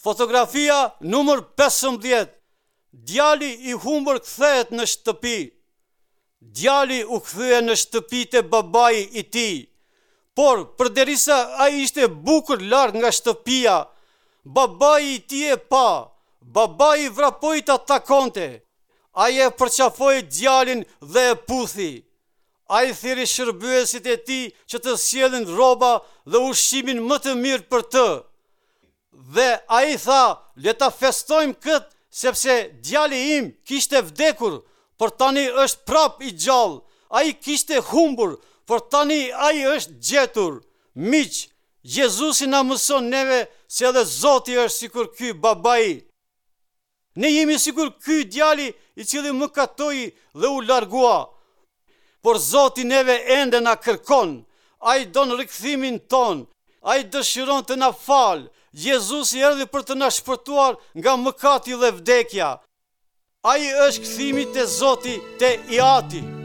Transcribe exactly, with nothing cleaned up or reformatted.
Fotografia numër pesëmbëdhjetë. Djali i humbur kthehet në shtëpi. Djali u kthye në shtëpi te babai i tij. Por, përderisa ai ishte bukur larg nga shtëpia, babai i tij e pa. Babai vrapoi ta takonte. Ai e përqafoi djalin dhe e puthi. Ai thirri shërbyesit e tij që të sjellin rroba dhe ushqimin më të mirë për të. Dhe ai tha, le ta festojmë këtë, sepse djali im kishte vdekur, por tani është prapë i gjallë. Ai kishte humbur, por tani ai është gjetur. Miq, Jezusi na mëson neve se edhe Zoti është sikur ky babai. Ne jemi sikur ky djali i cili mëkatoi dhe u largua. Por Zoti neve ende na kërkon. Ai don rikthimin tonë. Ai dëshiron të na falë. Jezusi erdhi për të na shpëtuar nga mëkati dhe vdekja. Ai është kthimi te Zoti, te i Ati.